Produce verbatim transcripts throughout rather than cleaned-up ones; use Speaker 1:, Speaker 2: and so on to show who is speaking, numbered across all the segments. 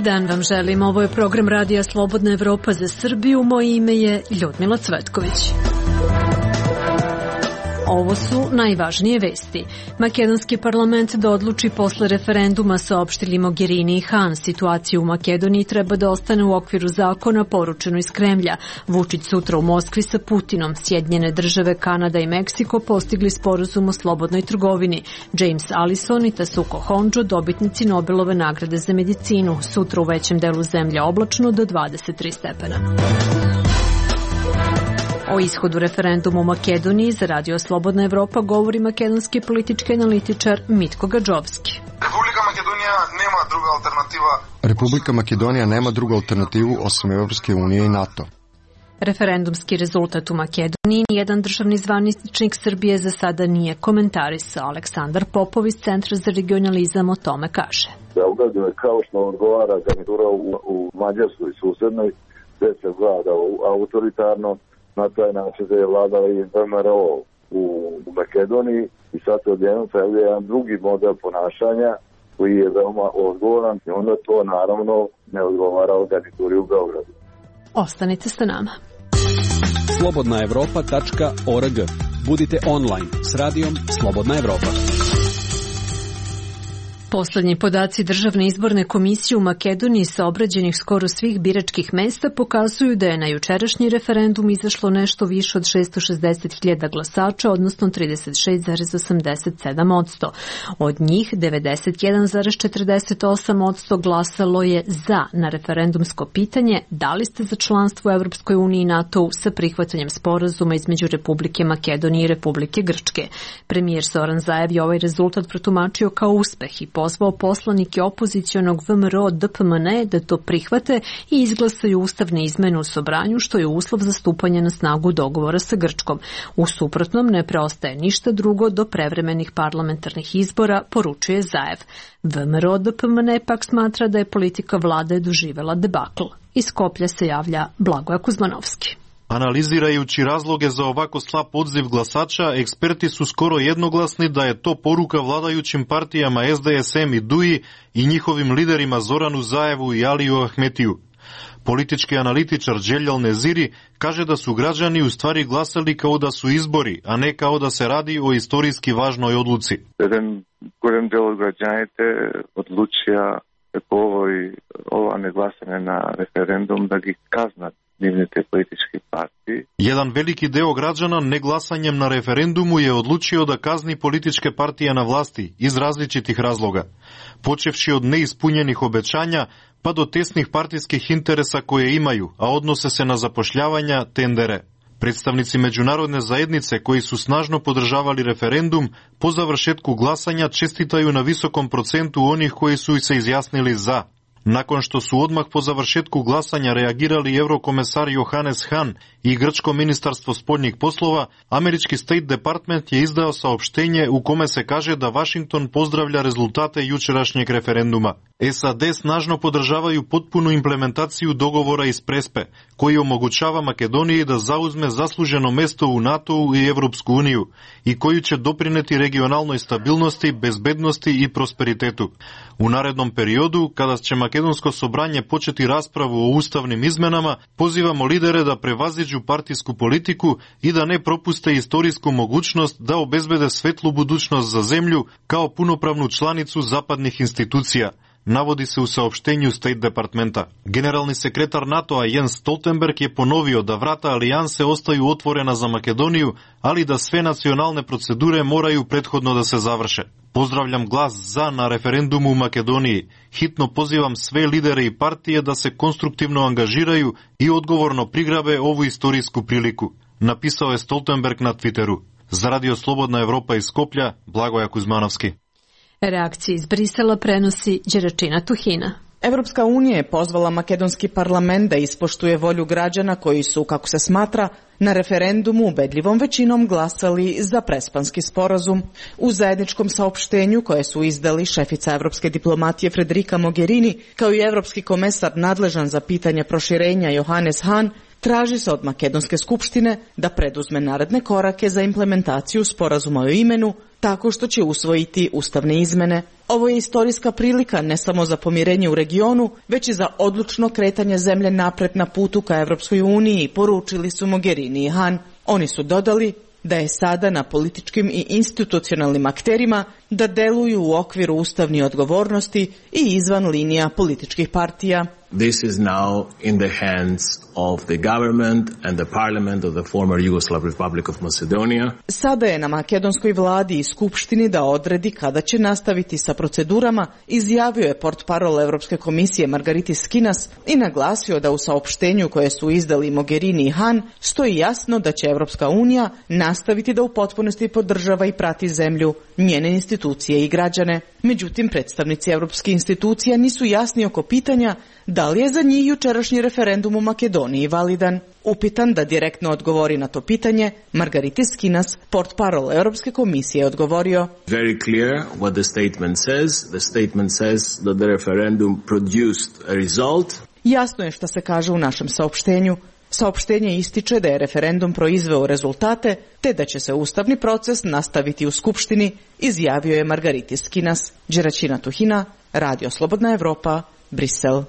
Speaker 1: dan vam želim. Ovo je program Radija Slobodna Evropa za Srbiju. Moje ime je Ljudmila Cvetković. Ovo su najvažnije vesti. Makedonski parlament da odluči posle referenduma, saopštili Mogherini i Han. Situaciju u Makedoniji treba da ostane u okviru zakona, poručeno iz Kremlja. Vučić sutra u Moskvi sa Putinom. Sjedinjene države, Kanada i Meksiko postigli sporazum o slobodnoj trgovini. James Allison i Tasuko Honjo, dobitnici Nobelove nagrade za medicinu. Sutra u većem delu zemlje oblačno do dvadeset tri stepena. O ishodu referenduma u Makedoniji za Radio Slobodna Evropa govori makedonski politički analitičar Mitko Gadžovski.
Speaker 2: Republika Makedonija nema druga alternativa.
Speaker 3: Republika Makedonija nema drugu alternativu osim Evropske unije i NATO.
Speaker 1: Referendumski rezultat u Makedoniji nijedan državni zvaničnik Srbije za sada nije komentarisao. Aleksandar Popov iz Centra za regionalizam o tome kaže.
Speaker 4: Beograd je kao što odgovara garnitura u, u Mađarskoj susednoj, gde se vlada autoritarno. Na taj način da je vladala i V M R O u, u Makedoniji i sad se odjednom je jedan drugi model ponašanja koji je veoma odgovoran i onda to naravno ne odgovara o garnituri u Beogradu.
Speaker 1: Ostanite sa nama.
Speaker 5: slobodna evropa tačka org. Budite online s radijom Slobodna Evropa.
Speaker 1: Poslednji podaci Državne izborne komisije u Makedoniji sa obrađenih skoro svih biračkih mesta pokazuju da je na jučerašnji referendum izašlo nešto više od šesto šezdeset hiljada glasača, odnosno trideset šest zarez osamdeset sedam posto. Od njih devedeset jedan zarez četrdeset osam posto glasalo je za na referendumsko pitanje da li ste za članstvo u Evropskoj uniji i NATO-u sa prihvatanjem sporazuma između Republike Makedonije i Republike Grčke. Premijer Zoran Zaev je ovaj rezultat protumačio kao uspeh i pozvao poslanike opozicionog V M R O D P M N da to prihvate i izglasaju ustavne izmene u Sobranju, što je uslov za stupanje na snagu dogovora sa Grčkom. U suprotnom ne preostaje ništa drugo do prevremenih parlamentarnih izbora, poručuje Zaev. V M R O D P M N pak smatra da je politika vlade doživela debakl. Iz Skoplja se javlja Blagoje Kuzmanovski.
Speaker 6: Analizirajući razloge za ovako slab odziv glasača, eksperti su skoro jednoglasni da je to poruka vladajućim partijama S D S M i D U I i njihovim liderima Zoranu Zaevu i Aliju Ahmetiju. Politički analitičar Đeljal Neziri kaže da su građani u stvari glasali kao da su izbori, a ne kao da se radi o istorijski važnoj odluci.
Speaker 4: Jedan golem deo građanite odlučija po ovoj, ova neglasanje na referendum da gi kaznat te političke partije.
Speaker 6: Jedan veliki deo građana neglasanjem na referendumu je odlučio da kazni političke partije na vlasti iz različitih razloga, počevši od neispunjenih obećanja pa do tesnih partijskih interesa koje imaju, a odnose se na zapošljavanja, tendere. Predstavnici međunarodne zajednice koji su snažno podržavali referendum po završetku glasanja čestitaju na visokom procentu onih koji su se izjasnili za. Nakon što su odmah po završetku glasanja reagirali eurokomesar Johannes Hahn i grčko ministarstvo spoljnih poslova, američki State Department je izdao saopštenje u kome se kaže da Washington pozdravlja rezultate jučerašnjeg referenduma. S A D snažno podržavaju potpunu implementaciju dogovora iz Prespe, koji omogućava Makedoniji da zauzme zasluženo mesto u NATO-u i Evropsku uniju i koji će doprineti regionalnoj stabilnosti, bezbednosti i prosperitetu. U narednom periodu, kada će Makedonsko sobranje početi raspravu o ustavnim izmenama, pozivamo lidere da prevaziđu partijsku politiku i da ne propuste istorijsku mogućnost da obezbede svetlu budućnost za zemlju kao punopravnu članicu zapadnih institucija, navodi se u saopštenju State Departmenta. Generalni sekretar NATO-a Jens Stoltenberg je ponovio da vrata alijanse ostaju otvorena za Makedoniju, ali da sve nacionalne procedure moraju prethodno da se završe. Pozdravljam glas za na referendumu u Makedoniji. Hitno pozivam sve lidere i partije da se konstruktivno angažiraju i odgovorno prigrabe ovu istorijsku priliku, napisao je Stoltenberg na Twitteru. Za Radio Slobodna Evropa iz Skoplja, Blagoje Kuzmanovski.
Speaker 1: Reakcije iz Brisela prenosi Đeračina Tuhina.
Speaker 7: Evropska unija je pozvala makedonski parlament da ispoštuje volju građana koji su, kako se smatra, na referendumu ubedljivom većinom glasali za prespanski sporazum. U zajedničkom saopštenju koje su izdali šefica evropske diplomatije Federica Mogherini kao i evropski komesar nadležan za pitanje proširenja Johannes Hahn, Traži se od Makedonske skupštine da preduzme naredne korake za implementaciju sporazuma o imenu tako što će usvojiti ustavne izmene. Ovo je istorijska prilika ne samo za pomirenje u regionu, već i za odlučno kretanje zemlje napred na putu ka Evropskoj uniji, poručili su Mogherini i Han. Oni su dodali da je sada na političkim i institucionalnim akterima da deluju u okviru ustavnih odgovornosti i izvan linija političkih partija.
Speaker 8: This is now in the hands of the government and the parliament of the former Yugoslav Republic of Macedonia.
Speaker 7: Sada je na makedonskoj vladi i skupštini da odredi kada će nastaviti sa procedurama, izjavio je portparol Evropske komisije Margaritis Skinas i naglasio da u saopštenju koje su izdali Mogherini i Han stoji jasno da će Evropska unija nastaviti da u potpunosti podržava i prati zemlju, njene institucije i građane. Međutim, predstavnici evropskih institucija nisu jasni oko pitanja da li je za njih jučerašnji referendum u Makedoniji validan. Upitan da direktno odgovori na to pitanje, Margaritis Skinas, portparol Europske komisije, je odgovorio:
Speaker 8: Very clear what the statement says. The statement says that the referendum produced a result.
Speaker 7: Jasno je šta se kaže u našem saopštenju. Saopštenje ističe da je referendum proizveo rezultate, te da će se ustavni proces nastaviti u Skupštini, izjavio je Margaritis Skinas. Đeraćina Tuhina, Radio Slobodna Evropa, Brisel.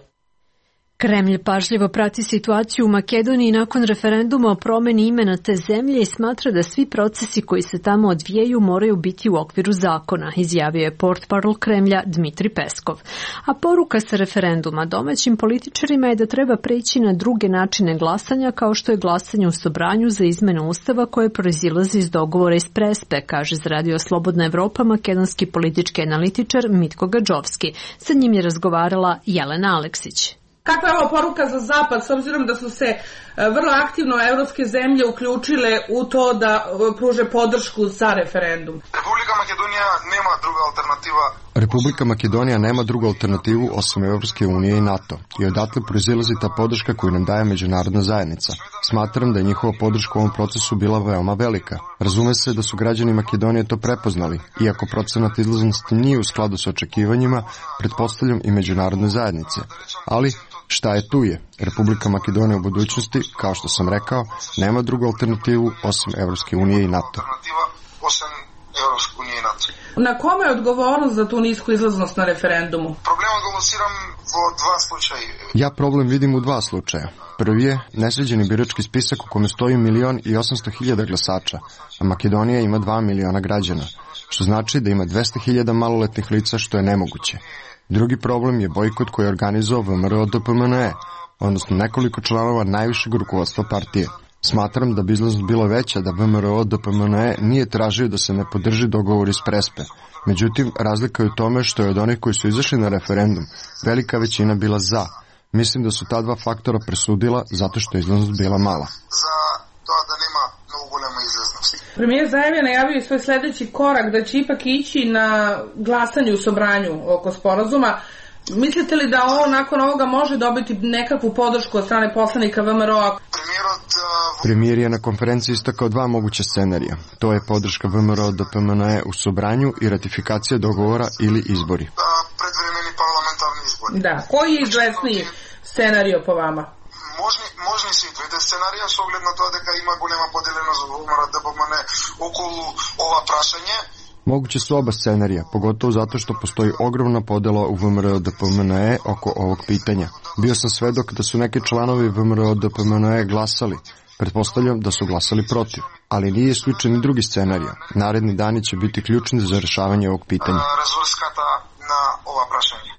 Speaker 1: Kremlj pažljivo prati situaciju u Makedoniji nakon referenduma o promeni imena te zemlje i smatra da svi procesi koji se tamo odvijaju moraju biti u okviru zakona, izjavio je portparol Kremlja Dmitri Peskov. A poruka sa referenduma domaćim političarima je da treba preći na druge načine glasanja, kao što je glasanje u Sobranju za izmenu ustava koje proizilazi iz dogovora iz Prespe, kaže za Radio Slobodna Evropa makedonski politički analitičar Mitko Gadžovski. Sa njim je razgovarala Jelena Aleksić.
Speaker 9: Kakva je ovo poruka za Zapad, s obzirom da su se vrlo aktivno evropske zemlje uključile u to da pruže podršku za referendum?
Speaker 2: Republika Makedonija nema druga alternativa.
Speaker 3: Republika Makedonija nema drugu alternativu osim Evropske unije i NATO i odatle proizilazi ta podrška koju nam daje međunarodna zajednica. Smatram da je njihova podrška u ovom procesu bila veoma velika. Razume se da su građani Makedonije to prepoznali, iako procenat izlaznosti nije u skladu sa očekivanjima, pretpostavljam i međunarodne zajednice. Ali šta je tu je? Republika Makedonija u budućnosti, kao što sam rekao, nema drugu alternativu osim Evropske unije i NATO.
Speaker 9: Na kome je odgovornost za tu nisku izlaznost na referendumu?
Speaker 2: Problem odgovorsiram u dva slučaja.
Speaker 3: Ja problem vidim u dva slučaja. Prvi je nesređeni birački spisak u kome stoji milion i osamsto hiljada glasača, a Makedonija ima dva miliona građana, što znači da ima dvesta hiljada maloletnih lica, što je nemoguće. Drugi problem je bojkot koji je organizovao V M R O D P M N E, odnosno nekoliko članova najvišeg rukovodstva partije. Smatram da bi izlaznost bila veća da V M R O D P M N E nije tražio da se ne podrži dogovor iz Prespe. Međutim, razlika je u tome što je od onih koji su izašli na referendum velika većina bila za. Mislim da su ta dva faktora presudila zato što je izlaznost bila mala.
Speaker 2: Za to da nema mnogo golema izlaznosti.
Speaker 9: Premijer Zajev je najavio svoj sledeći korak da će ipak ići na glasanje u Sobranju oko sporazuma. Mislite li da ovo nakon ovoga može dobiti nekakvu podršku od strane poslanika V M R O-a?
Speaker 3: Premijer je na konferenciji istakao dva moguća scenarija. To je podrška V M R O D P M N E u Sobranju i ratifikacija dogovora ili izbori.
Speaker 2: Predvremeni parlamentarni izbori.
Speaker 9: Da, koji je izvesniji scenario po vama?
Speaker 2: Možni, možni svi dve scenarija s ogled na to da ima golema podeljenost V M R O D P M N E okolo ova prašanje.
Speaker 3: Moguće su oba scenarija, pogotovo zato što postoji ogromna podela u V M R O D P M N E oko ovog pitanja. Bio sam svedok da su neki članovi V M R O D P M N E glasali. Pretpostavljam da su glasali protiv, ali nije isključen ni drugi scenarij. Naredni dani će biti ključni za rešavanje ovog pitanja.
Speaker 2: Rezulskata na ova prašanja.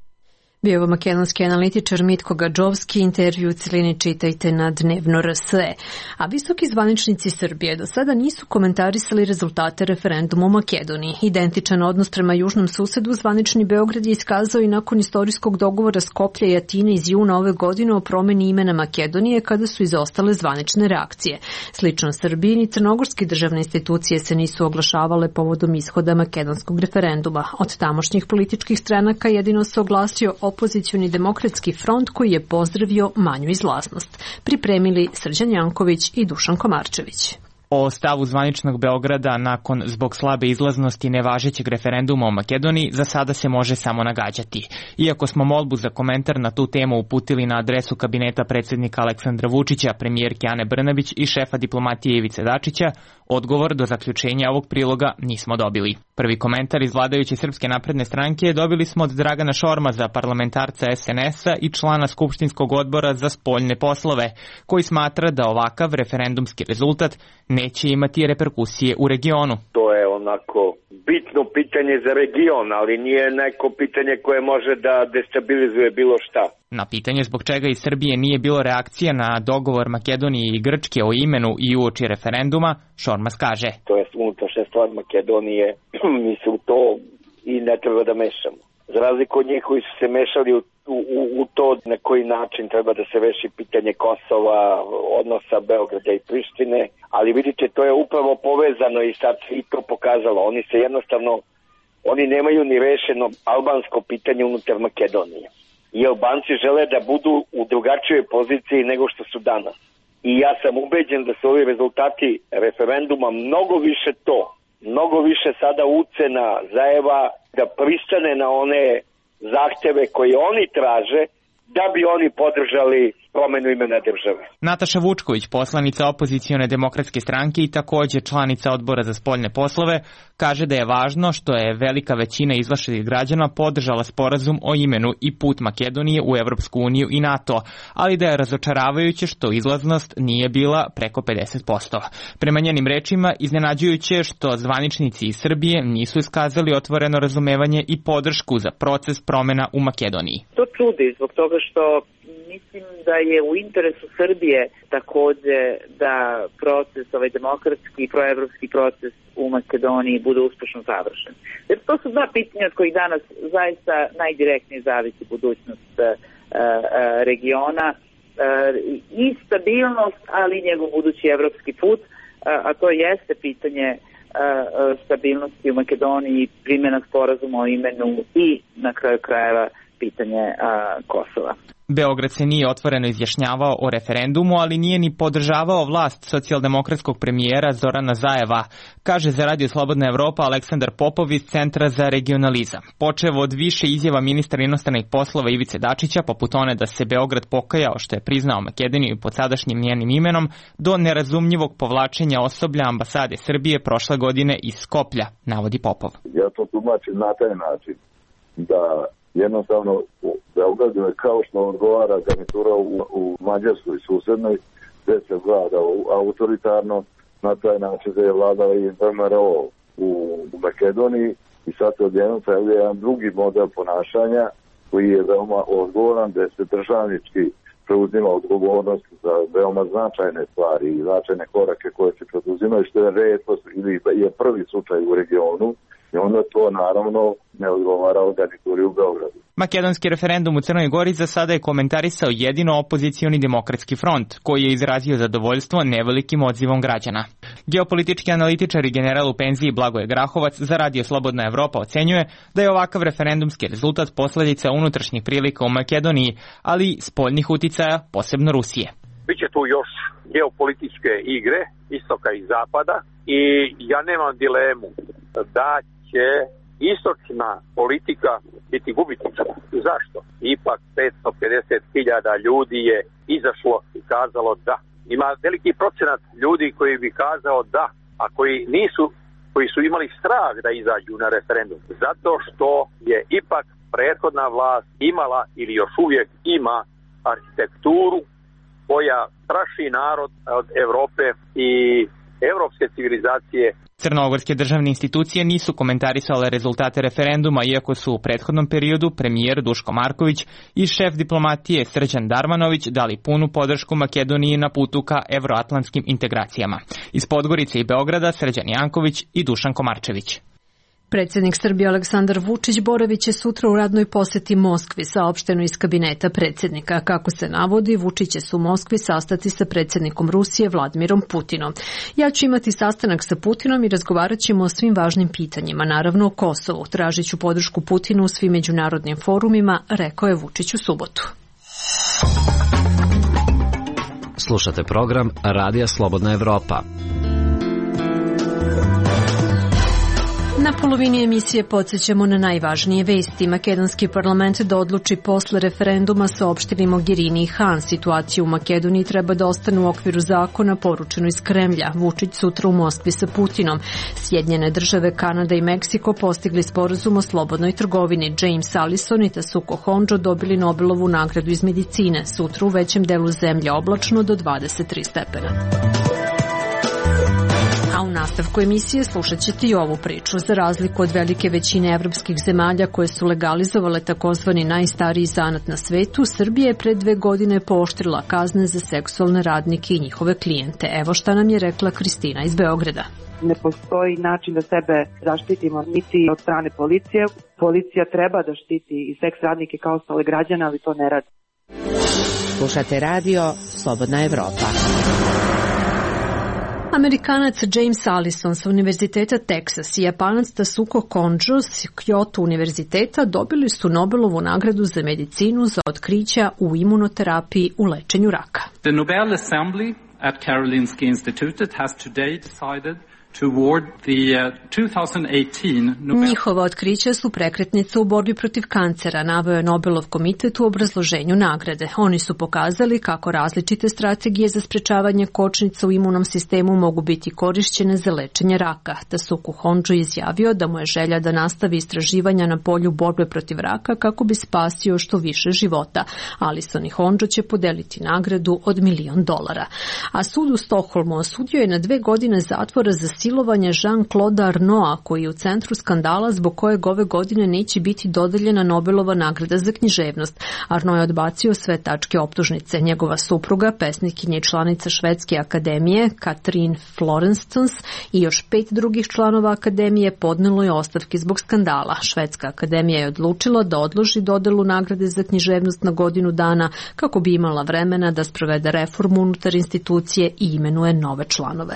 Speaker 1: Bio ovo makedonski analitičar Mitko Gadžovski, intervju u celini čitajte na Dnevno R S E. A visoki zvaničnici Srbije do sada nisu komentarisali rezultate referenduma u Makedoniji. Identičan odnos prema južnom susedu zvanični Beograd je iskazao i nakon istorijskog dogovora Skoplja i Atine iz juna ove godine o promeni imena Makedonije kada su izostale zvanične reakcije. Slično Srbiji ni crnogorske državne institucije se nisu oglašavale povodom ishoda makedonskog referenduma. Od tamošnjih političkih stranaka jedino se oglasio opozicioni demokratski front koji je pozdravio manju izlaznost. Pripremili Srđan Janković i Dušan Komarčević.
Speaker 10: O stavu zvaničnog Beograda nakon zbog slabe izlaznosti nevažećeg referenduma o Makedoniji za sada se može samo nagađati. Iako smo molbu za komentar na tu temu uputili na adresu kabineta predsjednika Aleksandra Vučića, premijerke Ane Brnabić i šefa diplomatije Ivice Dačića, odgovor do zaključenja ovog priloga nismo dobili. Prvi komentar iz vladajuće Srpske napredne stranke dobili smo od Dragana Šormaza, parlamentarca es en es a i člana Skupštinskog odbora za spoljne poslove, koji smatra da ovakav referendumski rezultat neće imati reperkusije u regionu.
Speaker 11: To je onako bitno pitanje za region, ali nije neko pitanje koje može da destabilizuje bilo šta.
Speaker 10: Na pitanje zbog čega iz Srbije nije bilo reakcija na dogovor Makedonije i Grčke o imenu i uoči referenduma, Šormaz kaže:
Speaker 11: To je unutrašnja stvar Makedonije, mi se u to i ne treba da mešamo. Za razliku od njih koji su se mešali u, u, u to na koji način treba da se reši pitanje Kosova, odnosa Beograda i Prištine, ali vidite, to je upravo povezano i sad i to pokazalo. Oni se jednostavno, oni nemaju ni rešeno albansko pitanje unutar Makedonije. I Albanci žele da budu u drugačijoj poziciji nego što su danas. I ja sam ubeđen da su ovi rezultati referenduma mnogo više to, mnogo više sada ucena Zaeva da pristane na one zahteve koje oni traže da bi oni podržali promenu imena države.
Speaker 10: Nataša Vučković, poslanica opozicione demokratske stranke i takođe članica odbora za spoljne poslove, kaže da je važno što je velika većina izlašenih građana podržala sporazum o imenu i put Makedonije u Evropsku uniju i NATO, ali da je razočaravajuće što izlaznost nije bila preko pedeset posto. Prema njenim rečima, iznenađujuće što zvaničnici iz Srbije nisu iskazali otvoreno razumevanje i podršku za proces promena u Makedoniji.
Speaker 12: To čudi zbog toga što mislim da je u interesu Srbije takođe da proces, ovaj demokratski i proevropski proces u Makedoniji bude uspešno završen. Jer to su dva pitanja od kojih danas zaista najdirektnije zavisi budućnost uh, uh, regiona uh, i stabilnost, ali i njegov budući evropski put, uh, a to jeste pitanje uh, stabilnosti u Makedoniji, primjena sporazuma o imenu i na kraju krajeva pitanje uh, Kosova.
Speaker 10: Beograd se nije otvoreno izjašnjavao o referendumu, ali nije ni podržavao vlast socijaldemokratskog premijera Zorana Zajeva, kaže za Radio Slobodna Evropa Aleksandar Popov iz Centra za regionalizam. Počev od više izjava ministra inostranih poslova Ivice Dačića, poput one da se Beograd pokajao što je priznao Makedoniju pod sadašnjim njenim imenom, do nerazumljivog povlačenja osoblja ambasade Srbije prošle godine iz Skoplja, navodi Popov.
Speaker 4: Ja to tumačim na taj način da jednostavno u Beogradu je kao što odgovara garnitura u, u Mađarskoj susednoj, gde se vlada autoritarno, na taj način da je vladala i V M R O u, u Makedoniji i sad se odjednom pojavlja jedan drugi model ponašanja koji je veoma odgovoran, gde se državnički preuzima odgovornost za veoma značajne stvari i značajne korake koje se preduzimaju, što je retkost ili je prvi slučaj u regionu. I onda to naravno ne odgovara o garnituri u Beogradu.
Speaker 10: Makedonski referendum u Crnoj Gori za sada je komentarisao jedino opozicioni demokratski front, koji je izrazio zadovoljstvo nevelikim odzivom građana. Geopolitički analitičar i general u penziji Blagoje Grahovac za Radio Slobodna Evropa ocenjuje da je ovakav referendumski rezultat posledica unutrašnjih prilika u Makedoniji, ali i spoljnih uticaja, posebno Rusije.
Speaker 13: Biće tu još geopolitičke igre istoka i zapada i ja nemam dilemu da će istočna politika biti gubitnička. Zašto? Ipak petsto pedeset hiljada ljudi je izašlo i kazalo da. Ima veliki procenat ljudi koji bi kazao da, a koji nisu, koji su imali strah da izađu na referendum. Zato što je ipak prethodna vlast imala ili još uvijek ima arhitekturu koja straši narod od Evrope i evropske civilizacije.
Speaker 10: Crnogorske državne institucije nisu komentarisale rezultate referenduma, iako su u prethodnom periodu premijer Duško Marković i šef diplomatije Srđan Darmanović dali punu podršku Makedoniji na putu ka evroatlantskim integracijama. Iz Podgorice i Beograda Srđan Janković i Dušan Komarčević.
Speaker 1: Predsjednik Srbije Aleksandar Vučić boravit će sutra u radnoj poseti Moskvi, saopšteno iz kabineta predsjednika. Kako se navodi, Vučić će se u Moskvi sastati sa predsjednikom Rusije Vladimirom Putinom. Ja ću imati sastanak sa Putinom i razgovarat ćemo o svim važnim pitanjima, naravno o Kosovu. Tražit ću podršku Putinu u svim međunarodnim forumima, rekao je Vučić u subotu.
Speaker 14: Slušate program Radija Slobodna Evropa.
Speaker 1: Na polovini emisije podsjećamo na najvažnije vesti. Makedonski parlament da odluči posle referenduma saopštili Mogherini i Han. Situacija u Makedoniji treba da ostane u okviru zakona, poručeno iz Kremlja. Vučić sutra u Moskvi sa Putinom. Sjedinjene države, Kanada i Meksiko postigli sporazum o slobodnoj trgovini. James Allison i Tasuku Honjo dobili Nobelovu nagradu iz medicine. Sutra u većem delu zemlje oblačno do dvadeset tri stepena. A u nastavku emisije slušat ćete i ovu priču. Za razliku od velike većine evropskih zemalja koje su legalizovale takozvani najstariji zanat na svetu, Srbija je pre dve godine pooštrila kazne za seksualne radnike i njihove klijente. Evo šta nam je rekla Kristina iz Beograda.
Speaker 14: Ne postoji način da sebe zaštitimo niti od strane policije. Policija treba da štiti i seks radnike kao ostale građane, ali to ne radi.
Speaker 15: Slušate radio Slobodna Evropa.
Speaker 1: Amerikanac James Allison sa Univerziteta Texas i Japanac Tasuku Honjo s Kyoto univerziteta dobili su Nobelovu nagradu za medicinu za otkrića u imunoterapiji u lečenju raka.
Speaker 16: The Nobel Assembly at Karolinska Institutet has today decided toward the uh, two thousand eighteen Nobel...
Speaker 1: Njihova otkrića su prekretnica u borbi protiv kancera, naveo je Nobelov komitet u obrazloženju nagrade. Oni su pokazali kako različite strategije za sprečavanje kočnica u imunom sistemu mogu biti korišćene za lečenje raka. Tasuku Honjo izjavio da mu je želja da nastavi istraživanja na polju borbe protiv raka kako bi spasio što više života. Allison i Honjo će podeliti nagradu od milion dolara. A sud u Stokholmu osudio je na dve godine zatvora za silovanje Jean-Claude Arnaulta, koji je u centru skandala zbog kojeg ove godine neće biti dodeljena Nobelova nagrada za književnost. Arnault je odbacio sve tačke optužnice. Njegova supruga, pesnikinja i članica Švedske akademije, Katrin Florensons, i još pet drugih članova akademije podnelo je ostavke zbog skandala. Švedska akademija je odlučila da odloži dodelu nagrade za književnost na godinu dana kako bi imala vremena da sprovede reformu unutar institucije i imenuje nove članove.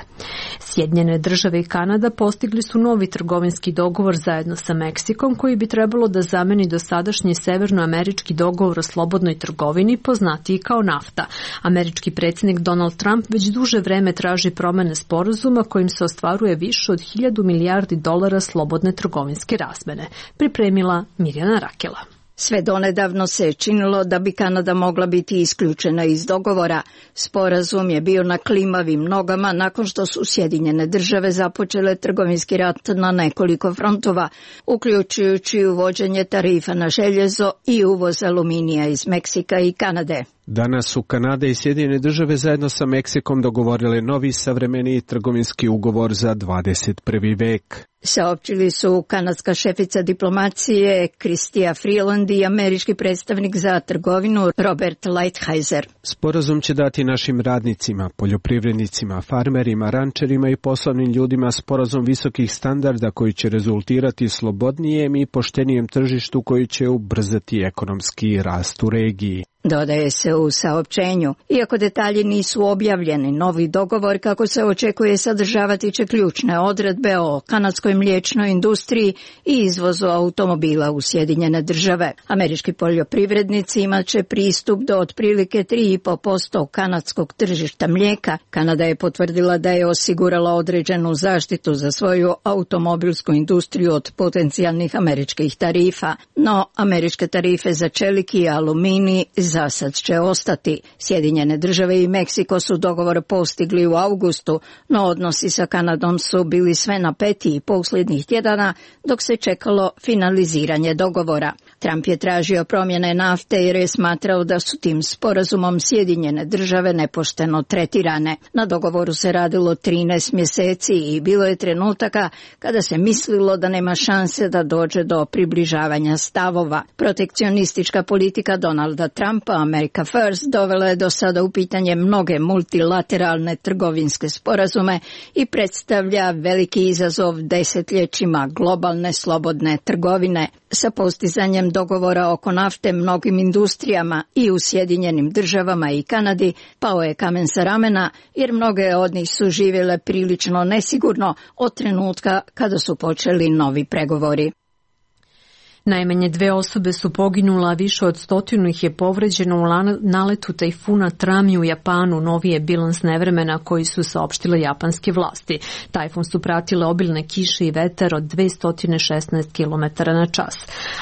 Speaker 1: Sjedinjene države Države i Kanada postigli su novi trgovinski dogovor zajedno sa Meksikom koji bi trebalo da zameni dosadašnji severnoamerički dogovor o slobodnoj trgovini, poznatiji kao NAFTA. Američki predsjednik Donald Trump već duže vreme traži promene sporazuma kojim se ostvaruje više od hiljadu milijardi dolara slobodne trgovinske razmene. Pripremila Mirjana Rakela.
Speaker 17: Sve donedavno se činilo da bi Kanada mogla biti isključena iz dogovora. Sporazum je bio na klimavim nogama nakon što su Sjedinjene države započele trgovinski rat na nekoliko frontova, uključujući uvođenje tarifa na željezo i uvoz aluminija iz Meksika i Kanade.
Speaker 18: Danas su Kanada i Sjedinjene države zajedno sa Meksikom dogovorile novi savremeniji trgovinski ugovor za dvadeset prvi vek.
Speaker 17: Saopćili su kanadska šefica diplomacije Chrystia Freeland i američki predstavnik za trgovinu Robert Lighthizer.
Speaker 18: Sporazum će dati našim radnicima, poljoprivrednicima, farmerima, rančerima i poslovnim ljudima sporazum visokih standarda koji će rezultirati slobodnijem i poštenijem tržištu koji će ubrzati ekonomski rast u regiji.
Speaker 17: Dodaje se u saopćenju. Iako detalji nisu objavljeni, novi dogovor kako se očekuje sadržavati će ključne odredbe o kanadskoj mliječnoj industriji i izvozu automobila u Sjedinjene države. Američki poljoprivrednici imat će pristup do otprilike tri i po posto kanadskog tržišta mlijeka. Kanada je potvrdila da je osigurala određenu zaštitu za svoju automobilsku industriju od potencijalnih američkih tarifa. No, američke tarife za čelik i aluminij za sad će ostati. Sjedinjene države i Meksiko su dogovor postigli u avgustu, no odnosi sa Kanadom su bili sve napetiji posljednjih tjedana dok se čekalo finaliziranje dogovora. Trump je tražio promjene nafte jer je smatrao da su tim sporazumom Sjedinjene države nepošteno tretirane. Na dogovoru se radilo trinaest mjeseci i bilo je trenutaka kada se mislilo da nema šanse da dođe do približavanja stavova. Protekcionistička politika Donalda Trumpa, America First, dovela je do sada u pitanje mnoge multilateralne trgovinske sporazume i predstavlja veliki izazov desetljećima globalne slobodne trgovine. Sa postizanjem dogovora oko nafte mnogim industrijama i u Sjedinjenim državama i Kanadi pao je kamen sa ramena jer mnoge od njih su živjele prilično nesigurno od trenutka kada su počeli novi pregovori.
Speaker 1: Najmanje dve osobe su poginula, a više od stotinu ih je povređeno u naletu tajfuna Trami u Japanu, noviji je bilans nevremena koji su saopštile japanske vlasti. Tajfun su pratile obilne kiše i vetar od dvesta šesnaest kilometara na čas.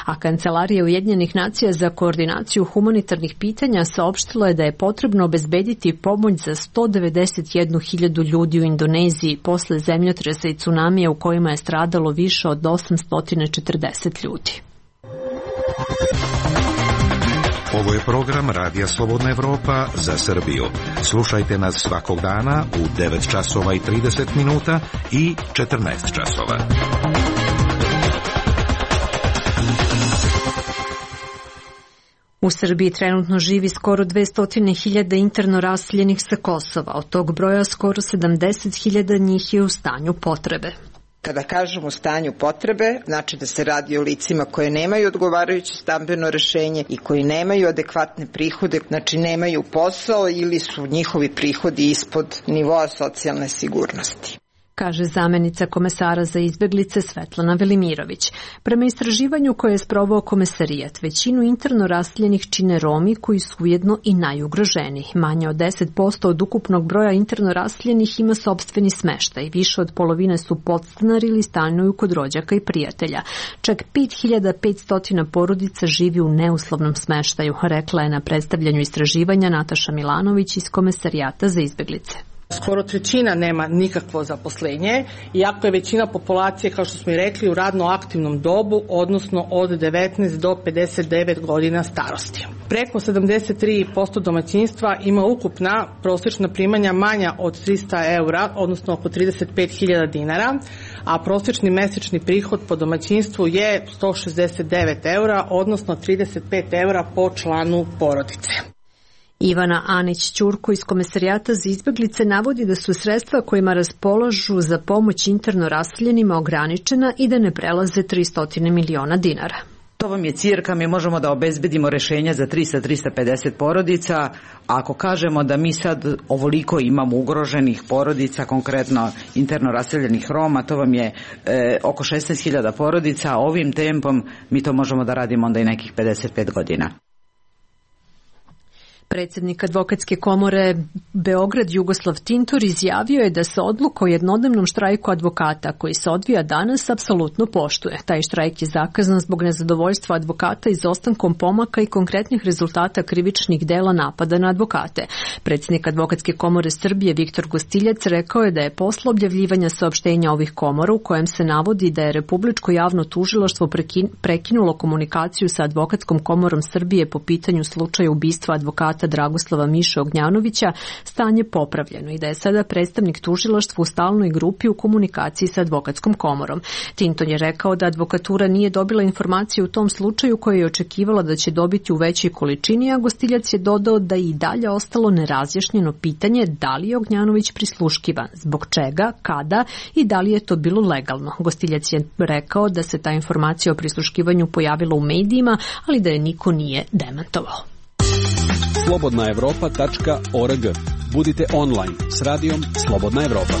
Speaker 1: A Kancelarija Ujedinjenih nacija za koordinaciju humanitarnih pitanja saopštila je da je potrebno obezbediti pomoć za sto devedeset jednu hiljadu ljudi u Indoneziji posle zemljotresa i cunamija u kojima je stradalo više od osamsto četrdeset ljudi.
Speaker 19: Ovo je program Radija Slobodna Evropa za Srbiju. Slušajte nas svakog dana u devet časova i trideset minuta i četrnaest časova.
Speaker 1: U Srbiji trenutno živi skoro dvesta hiljada interno raseljenih sa Kosova. Od tog broja skoro sedamdeset hiljada njih je u stanju potrebe.
Speaker 20: Kada kažemo u stanju potrebe, znači da se radi o licima koje nemaju odgovarajuće stambeno rešenje i koji nemaju adekvatne prihode, znači nemaju posao ili su njihovi prihodi ispod nivoa socijalne sigurnosti,
Speaker 1: kaže zamenica komesara za izbeglice Svetlana Velimirović. Prema istraživanju koje je sproveo komesarijat, većinu interno raseljenih čine Romi koji su ujedno i najugroženiji. Manje od deset posto od ukupnog broja interno raseljenih ima sopstveni smeštaj. Više od polovine su podstanari ili stanuju kod rođaka i prijatelja. Čak pet hiljada petsto porodica živi u neuslovnom smeštaju, rekla je na predstavljanju istraživanja Nataša Milanović iz komesarijata za izbeglice.
Speaker 21: Skoro trećina nema nikakvo zaposlenje, iako je većina populacije, kao što smo i rekli, u radno aktivnom dobu, odnosno od devetnaest do pedeset devet godina starosti. Preko sedamdeset tri posto domaćinstva ima ukupna prosječna primanja manja od trista eura, odnosno oko trideset pet hiljada dinara, a prosječni mesečni prihod po domaćinstvu je sto šezdeset devet eura, odnosno trideset pet eura po članu porodice.
Speaker 1: Ivana Anić-Ćurko iz Komesarijata za izbeglice navodi da su sredstva kojima raspolažu za pomoć interno raseljenima ograničena i da ne prelaze tristo miliona dinara.
Speaker 22: To vam je cirka, mi možemo da obezbedimo rešenja za trista do trista pedeset porodica. A ako kažemo da mi sad ovoliko imamo ugroženih porodica, konkretno interno raseljenih Roma, to vam je e, oko šesnaest hiljada porodica. Ovim tempom mi to možemo da radimo onda i nekih pedeset pet godina.
Speaker 1: Predsjednik Advokatske komore Beograd Jugoslav Tintor izjavio je da se odluka o jednodnevnom štrajku advokata koji se odvija danas apsolutno poštuje. Taj štrajk je zakazan zbog nezadovoljstva advokata izostankom pomaka i konkretnih rezultata krivičnih dela napada na advokate. Predsjednik Advokatske komore Srbije Viktor Gostiljac rekao je da je posle objavljivanja saopštenja ovih komora u kojem se navodi da je Republičko javno tužilaštvo prekinulo komunikaciju sa Advokatskom komorom Srbije po pitanju slučaja ubistva advokata Dragoslava Miše Ognjanovića, stanje popravljeno i da je sada predstavnik tužilaštva u stalnoj grupi u komunikaciji sa Advokatskom komorom. Tinton je rekao da advokatura nije dobila informacije u tom slučaju koje je očekivala da će dobiti u većoj količini, a Gostiljac je dodao da je i dalje ostalo nerazjašnjeno pitanje da li je Ognjanović prisluškivan, zbog čega, kada i da li je to bilo legalno. Gostiljac je rekao da se ta informacija o prisluškivanju pojavila u medijima, ali da je niko nije demantovao.
Speaker 5: slobodna evropa tačka org. Budite online s radijom Slobodna Evropa.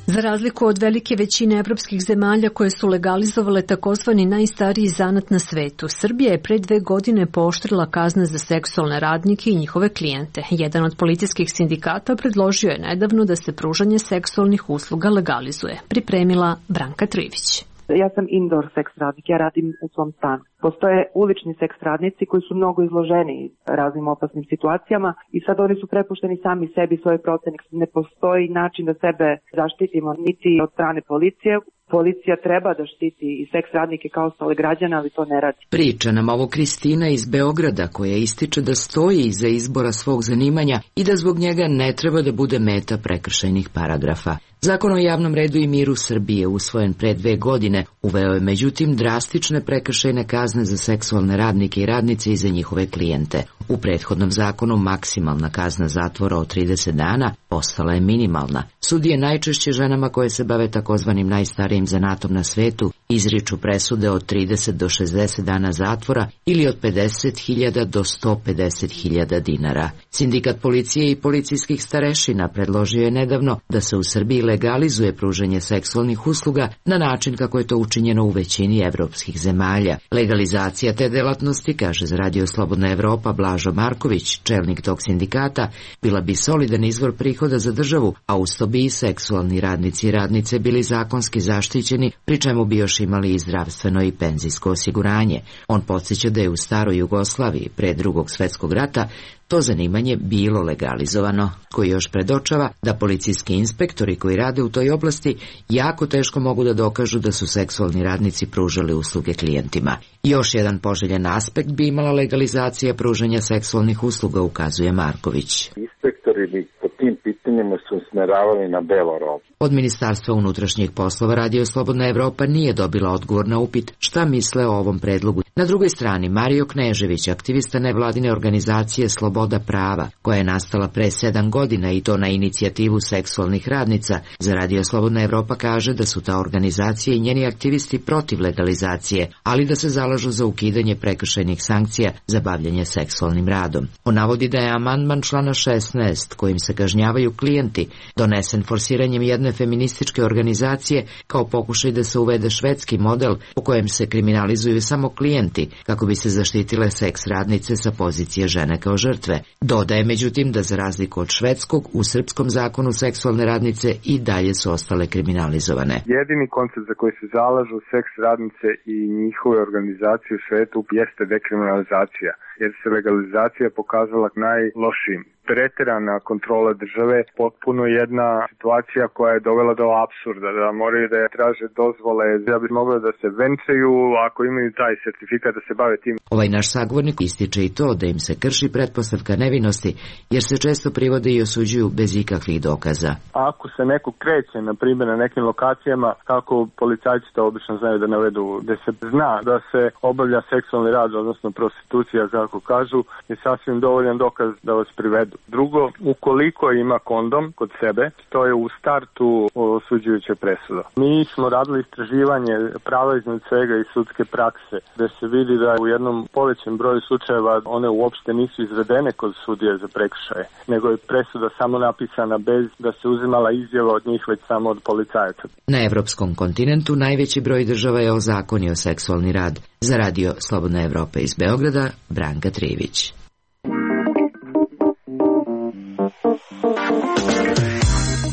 Speaker 1: Za razliku od velike većine evropskih zemalja koje su legalizovale takozvani najstariji zanat na svetu, Srbija je pre dve godine pooštrila kazne za seksualne radnike i njihove klijente. Jedan od policijskih sindikata predložio je nedavno da se pružanje seksualnih usluga legalizuje. Pripremila Branka Trivić.
Speaker 14: Ja sam indoor seks radnik, ja radim u svom stanu. Postoje ulični seks radnici koji su mnogo izloženi raznim opasnim situacijama i sad oni su prepušteni sami sebi svoje procene. Ne postoji način da sebe zaštitimo niti od strane policije. Policija treba da štiti i seks radnike kao ostale građane, ali to ne radi.
Speaker 23: Priča nam ovo Kristina iz Beograda koja ističe da stoji iza izbora svog zanimanja i da zbog njega ne treba da bude meta prekršajnih paragrafa. Zakon o javnom redu i miru Srbije, usvojen pre dve godine, uveo je međutim drastične prekršajne kazne za seksualne radnike i radnice i za njihove klijente. U prethodnom zakonu maksimalna kazna zatvora od trideset dana postala je minimalna. Sudije najčešće ženama koje se bave takozvanim najstarijim najstarijim zanatom na svetu izriču presude od trideset do šezdeset dana zatvora ili od pedeset hiljada do sto pedeset hiljada dinara. Sindikat policije i policijskih starešina predložio je nedavno da se u Srbiji legalizuje pružanje seksualnih usluga na način kako je to učinjeno u većini evropskih zemalja. Legalizacija te delatnosti, kaže za Radio Slobodna Evropa Blažo Marković, čelnik tog sindikata, bila bi solidan izvor prihoda za državu, a uz to bi i seksualni radnici i radnice bili zakonski zaštićeni, pri čemu bi još imali i zdravstveno i penzijsko osiguranje. On podsjeća da je u staroj Jugoslaviji pre Drugog svetskog rata to zanimanje bilo legalizovano, koji još predočava da policijski inspektori koji rade u toj oblasti jako teško mogu da dokažu da su seksualni radnici pružali usluge klijentima. Još jedan poželjen aspekt bi imala legalizacija pružanja seksualnih usluga, ukazuje Marković.
Speaker 4: Inspektori bi po tim pitanjima su usmeravali na belo robu.
Speaker 23: Od Ministarstva unutrašnjih poslova Radio Slobodna Evropa nije dobila odgovor na upit šta misle o ovom predlogu. Na drugoj strani, Mario Knežević, aktivista nevladine organizacije Sloboda prava, koja je nastala pre sedam godina i to na inicijativu seksualnih radnica, za Radio Slobodna Evropa kaže da su ta organizacija i njeni aktivisti protiv legalizacije, ali da se zalažu za ukidanje prekršajnih sankcija za bavljanje seksualnim radom. On navodi da je amandman člana šesnaest, kojim se kažnjavaju klijenti, donesen forsiranjem jedne feminističke organizacije kao pokušaj da se uvede švedski model u kojem se kriminalizuju samo klijenti kako bi se zaštitile seks radnice sa pozicije žene kao žrtve. Dodaje međutim da za razliku od švedskog, u srpskom zakonu seksualne radnice i dalje su ostale kriminalizovane.
Speaker 6: Jedini koncept za koji se zalažu seks radnice i njihove organizacije u svetu jeste dekriminalizacija, jer se legalizacija pokazala najlošijim. Preterana kontrola države, potpuno jedna situacija koja je dovela do apsurda, da moraju da je traže dozvole, da bi mogli da se venčaju ako imaju taj sertifikat da se bave tim.
Speaker 23: Ovaj naš sagovornik ističe i to da im se krši pretpostavka nevinosti, jer se često privode i osuđuju bez ikakvih dokaza.
Speaker 6: Ako se neko kreće, na primjer, na nekim lokacijama, kako policajci to obično znaju da navedu, gde se zna da se obavlja seksualni rad, odnosno prostitucija, kako kažu, je sasvim dovoljan dokaz da vas privedu. Drugo, ukoliko ima kondom kod sebe, to je u startu osuđujuća presuda. Mi smo radili istraživanje prava iznad svega i sudske prakse, gde se vidi da u jednom povećem broju slučajeva one uopšte nisu izvedene kod sudije za prekršaje, nego je presuda samo napisana bez da se uzimala izjava od njih, već samo od policajaca.
Speaker 23: Na evropskom kontinentu najveći broj država je ozakonio seksualni rad. Za Radio Slobodna Evropa iz Beograda, Branka Trivić.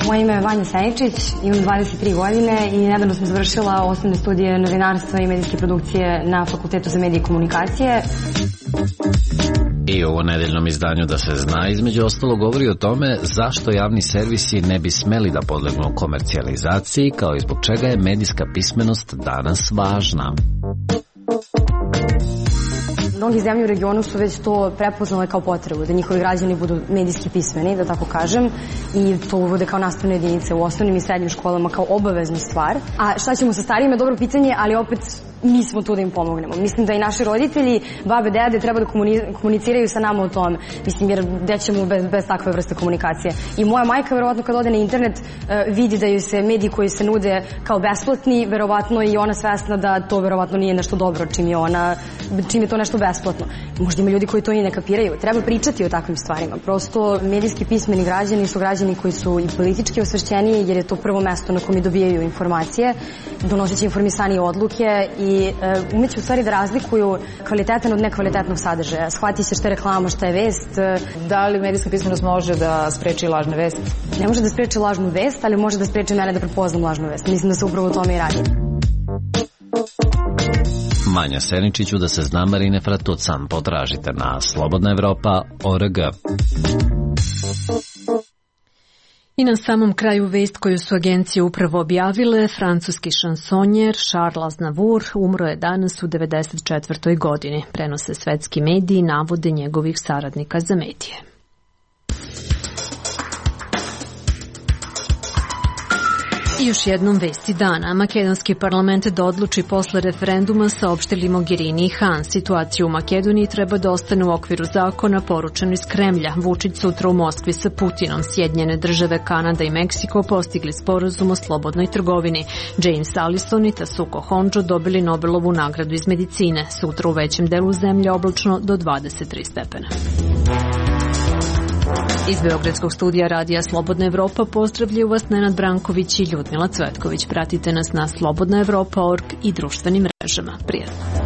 Speaker 7: Moje ime je Vanja Seničić, imam dvadeset tri godine i nedavno sam završila osnovne studije novinarstva i medijske produkcije na Fakultetu za medije i komunikacije.
Speaker 8: I ovo nedeljnom izdanju Da se zna između ostalo govori o tome zašto javni servisi ne bi smeli da podlegnu komercijalizaciji, kao i zbog čega je medijska pismenost danas važna.
Speaker 7: Mnogi zemlje u regionu su već to prepoznale kao potrebu, da njihovi građani budu medijski pismeni, da tako kažem, i to uvode kao nastavne jedinice u osnovnim i srednjim školama kao obaveznu stvar. A šta ćemo sa starijima je dobro pitanje, ali opet mi smo tu da im pomognemo. Mislim da i naši roditelji, babe, dede, treba da komuniciraju sa nama o tome. Mislim, jer gde ćemo bez, bez takve vrste komunikacije. I moja majka, verovatno, kad ode na internet, vidi da joj se mediji koji se nude kao besplatni, verovatno i ona svesna da to verovatno nije nešto dobro čim je ona, čim je to nešto besplatno. Možda ima ljudi koji to ni ne kapiraju. Treba pričati o takvim stvarima. Prosto, medijski pismeni građani su građani koji su i politički osvešćeniji, jer je to prvo mesto na kome dobijaju informacije, donoseći informisanije odluke i umeće u stvari da razlikuju kvalitetan od nekvalitetnog sadržaja. Shvati se šta je reklama, šta je vest.
Speaker 24: Da li medijska pismenost može da spreči lažne vesti?
Speaker 7: Ne može da spreči lažnu vest, ali može da spreči mene da prepoznam lažnu vest. Mislim da se upravo o tome i radi.
Speaker 8: Manja Seničiću Da se zna Marine Fratucan potražite na slobodna evropa tačka org.
Speaker 1: I na samom kraju vest koju su agencije upravo objavile, francuski šansonjer Charles Aznavour umro je danas u devedeset četvrtoj godini. Prenose svetski mediji navode njegovih saradnika za medije. I još jednom vesti dana. Makedonski parlament da odluči posle referenduma, saopštili Mogherini i Han. Situaciju u Makedoniji treba da ostane u okviru zakona, poručeno iz Kremlja. Vučić sutra u Moskvi sa Putinom. Sjedinjene države, Kanada i Meksiko postigli sporazum o slobodnoj trgovini. James Allison i Tasuko Honjo dobili Nobelovu nagradu iz medicine. Sutra u većem delu zemlje oblačno do dvadeset tri stepena. Iz Beogradskog studija Radija Slobodna Evropa pozdravljaju vas Nenad Branković i Ljudmila Cvetković. Pratite nas na slobodna evropa tačka org i društvenim mrežama. Prijatno.